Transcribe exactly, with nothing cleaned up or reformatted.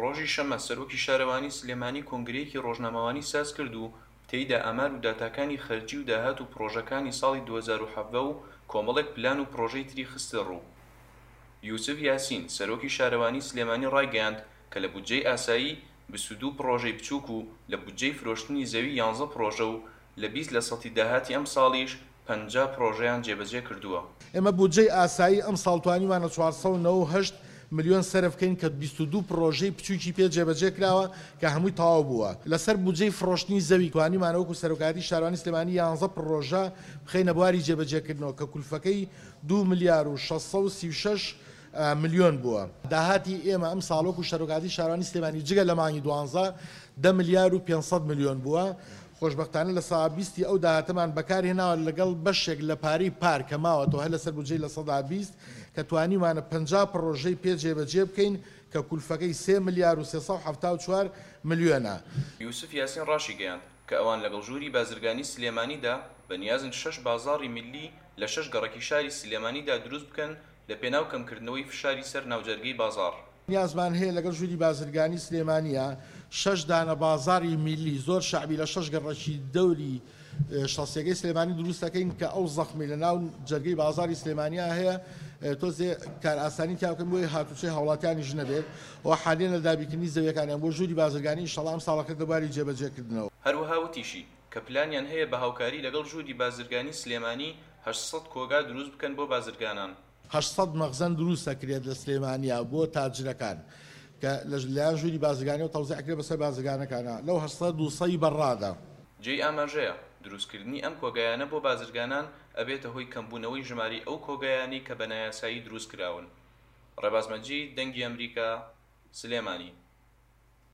ڕۆژی شەممە سەرۆکی شارەوانی سلێمانی کۆنگرەیەکی ڕۆژنامەوانی سازکرد و تێیدا ئامار و داتاکانی خەرجی و داهات و پڕۆژەکانی ساڵی دوو هەزار و حەڤدە و کۆمەڵێک پلان و پڕۆژەی تری خستەڕوو. یوسف یاسین، سەرۆکی شارەوانی سلێمانی ڕایگەیاند کە لە بودجەی ئاسایی بیست و دوو پڕۆژەی بچووک و لە بودجەی فرۆشتنی زەوی یانزە پڕۆژە و لە بیست لە سەتی داهاتی ئەمساڵیش پەنجا پڕۆژەیان جێبەجێ کردووە. ئێمە بودجەی ئاسایی ئەمساڵ توانیومانە چوار سەد و نەوەد و هەشت ملیۆن سەرف بکەین کە بیست و دوو پڕۆژەی بچووکی پێ جێبەجێ کراوە کە هەمووی تەواو بووە. لەسەر بودجەی فرۆشتنی زەوی توانیمانە وەکو سەرۆکایەتی شارەوانی سلێمانی یانزە پڕۆژە بخەینە بواری جێبەجێکردنەوە کە کولفەکەی دوو ملیار و شەش سەد و سی و شەش ملیۆن بووە. داهاتی ئێمە ئەم ساڵ وەکو سەرۆکایەتی شارەوانی سلێمانی جگە لە مانگی دوانزە دە ملیار و پێنج سەد ملیۆن بووە. خۆشبەختانە لە سەدا بیستی ئەو داهاتەمان بەکارهێناوە لەگەڵ بەشێک لە پارەی پار کە ماوەتەوە هەر لەسەر بودجەی لە سەدا بیست کە توانیمانە پەنجا پڕۆژەی پێ جێبەجێ بکەین کە کولفەکەی سێ ملیار و سێ سەد و حەفتا و چوار ملیۆنە. یوسف یاسین ڕاشیگەیاند کە ئەوان لەگەڵ ژووری بازرگانی سلێمانیدا بەنیازن شەش بازاڕی میللی لە شەش گەڕەکی شاری سلێمانیدا دروست بکەن لە پێناو کەمکردنەوەی فشاری سەر ناوجەرگەی بازاڕ. نیازمان هەیە لەگەڵ ژووری بازرگانی سلێمانیە شەش دانە بازاڕی میللی زۆر شەعبی لە شەش گەڕەکی دەوری شەسیەکەی سلێمانی دروست دەکەین کە ئەو زەخمی لە ناو جەرگەی بازاڕی سلێمانیا هەیە تۆزێ کارئاسانی تیا بکەن بۆی هاتوچۆی هاوڵاتیانیش نەبێت و حالیان لە دابینکردنی زەویەکانیان بۆ ژووری بازرگانی ئینشەڵا ئەم ساڵەکە دەباری جێبەجێکردنەوە. هەروەها وتیشی کە پلانیان هەیە بە هاوکاری لەگەڵ ژووری بازرگانی سلێمانی هەشت سەد کۆگا دروست بکەن بۆ بازرگانان. هەشت سەد مەخزەن دروست دەکرێت لە سلێمانیا بۆ تاجرەکان کە لەلایەن ژووری بازرگانی و تەوزیع کرێت بەسەر بازرگانەکانە لەو هەشت سەد دوو سەی بەڕادە. جێی ئاماژەیە دروستکردنی ئەم کۆگایانە بۆ بازرگانان ئەبێتە هۆی کەمبوونەوەی ژمارەی ئەو کۆگایانەی کە بە نایاسایی دروست کراون. ڕێباز مەجید، دەنگی ئەمریکا، سلێمانی.